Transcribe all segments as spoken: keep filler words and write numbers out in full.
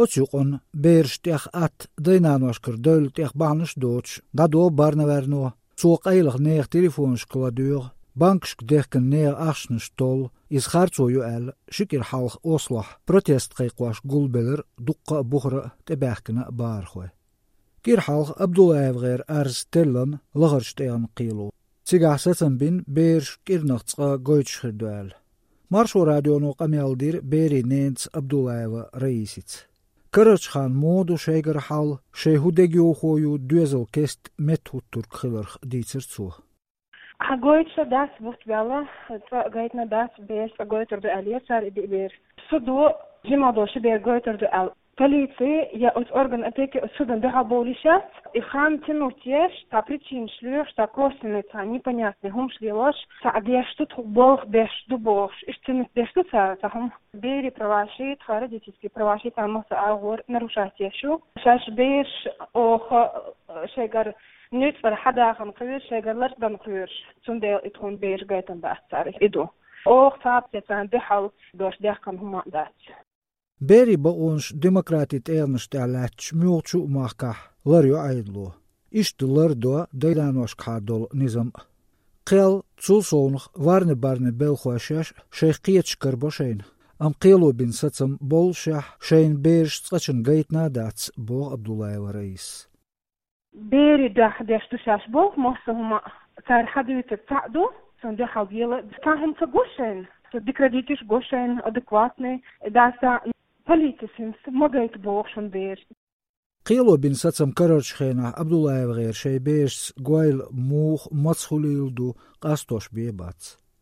Оцу юкъанна бераш тӀех атта дай-наношкара девлла тӀех бахьанаш а доцуш, дӀадо барнаваьрно. Цо къайлаха нехан телефонашка ладоьгӀу, банкашка дехкина нехан ахчанаш толлу, иза харцо ю аьлла, ши кӀира хьалха Ослохь протест кхайкхош гулбелира дуккха а, бухара а, тӀебаьхкина а бахархой. КӀира хьалха АбдуллаевгӀеран арз теллина лахарчу тӀегӀан кхело. Цигахь сацам бина бераш кӀирнах цкъа гойтуш хир ду аьлла. Маршо радионо къамел дира берийн ненца Абдуллаева Раисица. Карарчу ханна муха ду шайгара хьал, шайн хӀун дегайовхо ю доьзал кеста меттахӀуттург хиларх, дийцира цо. Хьан гойтуш дац бутт баьлла, цкъа а гайтина дац, бераш цкъа гойтур ду аьлла, цара и диъ бер. Судо жималла долу ши бер гойтур ду аьлла. Полици я оцу орган опеки оцу судан дуьхьал бовлуш яц, и хан тянуть еш, цхьа причинаш лоьхуш, цхьа косвенный, цхьа непонятный хӀумаш лелош, цхьа деш ду, тхо болх беш ду бохуш, иштта тянуть деш ду цара цхьа хӀума. Берийн праваши, тхан родительский праваши, цхьана массо а агӀор нарушать еш ю. Шаьш бераш оха, э, шайгара нуьцкъара хьадахана кхоьруш, шайгара лардан кхоьруш, цундела и тхуна бераш гайтина дац цара, и ду. Оха цхьацца царна дуьхьал дош дехкина хӀума а дац. Берийн бакъонаш демократин тӀегӀанаш тӀехь лаьтташ муьлххачу а махкахь лар йо Ӏедало. Иштта лар до дай-наношкахьа долу низам а. Кхел, цул совнах варна-барна белхой шаьш а шайх кхеташ карабо шайна, амма кхело бина сацам боллушехь, шайна бераш цкъачунна гайтина а дац, боху Абдуллаева Раисас. Берийн дуьхьа деш ду шаьш болх, массо а хӀума цара хьадуьйцург цхьаъ ду, цунна дуьхьал дела цхьа хӀума ца го шайна, со дика родителаш го шайна, адекватный, даса полицис хӀинца ма гайта боху шуна бераш. Кхело бина сацам карарчу хенахь АбдуллаевгӀеран шайн берашца гойла муха, маца хуьлийла ду къастош бен бац.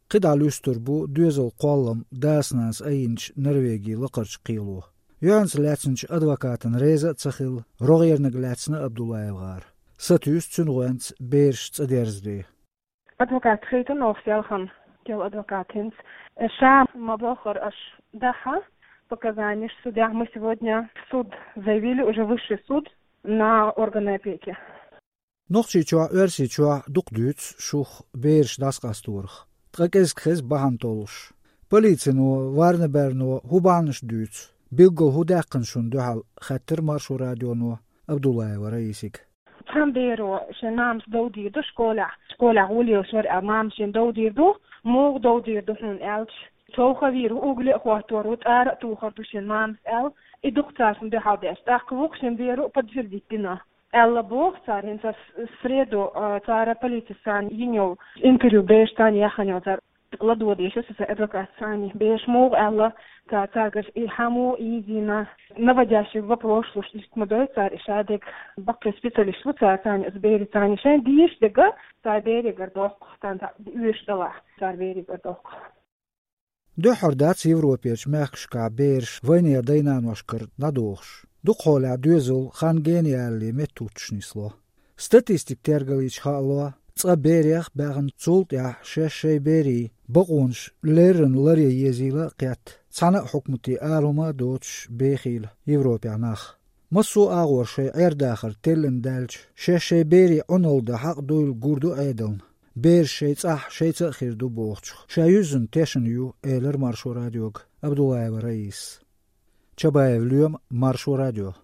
КхидӀа луьстур бу доьзал кхоллам дас-нанас айинчу Норвегин лакхарчу кхело. ЙоьӀанца лаьцначу адвокатана реза а ца хилла, рогӀерниг лаьцна АбдуллаевгӀар. Сатуьйсу цуьнан гӀоьнца бераш цӀа дерзаре. Адвокат хийтина оха селхана, кел адвокат хӀинца. Ша ма боххара аша дахьа показаниш судья, мы сегодня в суд заявили, уже высший суд, на органы опеки. Нохчийчохь, Оьрсийчохь дукха дуьйцу шух бераш дӀасакъасторах. Ткъа кӀезиг хеза бахьана толлуш. Полицино, варна-барно хӀун бахьанаш дуьйцу? Билггал хӀун даьккхина шуна дуьхьал, хаьттира Маршо радионо Абдуллаева Раисига. Цхьана беро шен мамас дов дийр ду школехь. Школехь гӀо лелаш вара аьлла, мамас шен дов дийр ду. Муха дов дийр ду хьуна аьлча, човха вийр ву, угли а хӀоттор ву, тӀара а тухур ду шен мамас аьлла. И дукха цара шуна дуьхьал деш. ТӀаккха вукху шен беро а подтвердить дина. Аьлла боху цара, хӀинца с-, среду, а, цара полицис царна йина йолу интервью, бераш царна яхана йолу цара ладогӀа дезаш ю сан адвокатца цхьаьна. Бераш муха аьлла, ца-, цаьргара и хьан муха изийна, наводящий вопрос луш, иштта ма дой цара, и шадерг баккхий специалист ву цара цхьаьна, оцу берийн цхьаьна шайн дийш дерг, цара беригара доккху, царна оьшуш далахь, цара беригара доккху. Дуьххьара дац Европерчу мехкашкахь бераш вайнехан дай-наношкара дӀадохуш. Дукха хьолехь доьзал хан генаяьлле меттахӀуттуш нисло. Статистикан тергаллича хаало, цкъа берех а баьхна, цул тӀаьхьа шаьш шайн берийн бакъонаш леррина ларъян езийла а кхетта, цхьана а хьукматан ала хӀума а доцуш бехийла Европехь нах. Массо а агӀор шайн Ӏер-дахар теллина даьлча, шаьш шайн берийн Ӏуналла дан хьакъ дуйла гур ду Ӏедална. Бераш шайн цӀахь шайца а хир ду бохучух, ша юьззина тешна ю, элира Маршо радиога Абдуллаева Раисас. Чабаев Лоьма, Маршо радио.